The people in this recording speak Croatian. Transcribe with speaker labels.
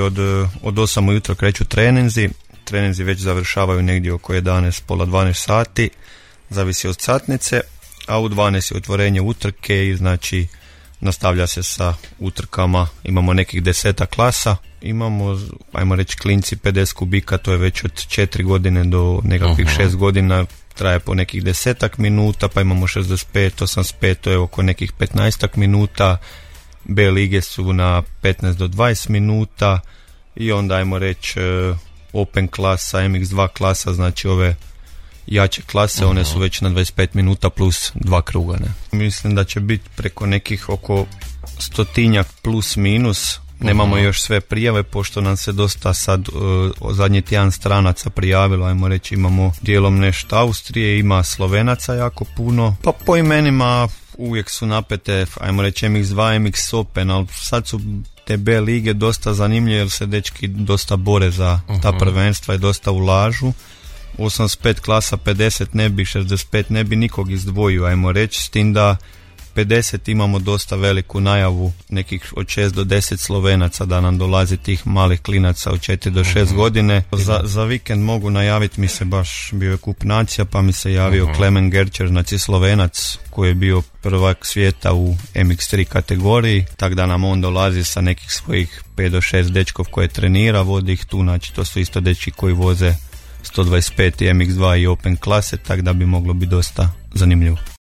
Speaker 1: Od 8 ujutro kreću treninzi već završavaju negdje oko 11, pola 12 sati, zavisi od satnice, a u 12 je otvorenje utrke i znači nastavlja se sa utrkama. Imamo nekih 10 klasa, imamo, ajmo reći, klinci 50 kubika, to je već od 4 godine do nekakvih 6 godina, traje po nekih 10 minuta, pa imamo 65, 85, to je oko nekih 15 minuta, B lige su na 15 do 20 minuta i onda ajmo reći Open klasa, MX2 klasa, znači ove jače klase, one su već na 25 minuta plus 2 kruga. Ne? Mislim da će biti preko nekih oko 100 plus minus. Nemamo još sve prijave, pošto nam se dosta sad zadnji tjedan stranaca prijavilo, ajmo reći, imamo dijelom nešto Austrije, ima Slovenaca jako puno, pa po imenima uvijek su napete, ajmo reći MX2, MX Open, ali sad su te B lige dosta zanimljive jer se dečki dosta bore za ta prvenstva i dosta ulažu. 85 klasa, 50 ne bi, 65 ne bi nikog izdvojio, ajmo reći, s tim da 50 imamo dosta veliku najavu, nekih od 6 do 10 Slovenaca da nam dolazi tih malih klinaca od 4 do 6 godine. Za vikend mogu najaviti, mi se baš bio je kup nacija, pa mi se javio Klemen Gerčer, znači Slovenac koji je bio prvak svijeta u MX3 kategoriji, tako da nam on dolazi sa nekih svojih 5 do 6 dečkov koje trenira, vodi ih tu, znači to su isto dečki koji voze 125 i MX2 i Open klase, tako da bi moglo biti dosta zanimljivo.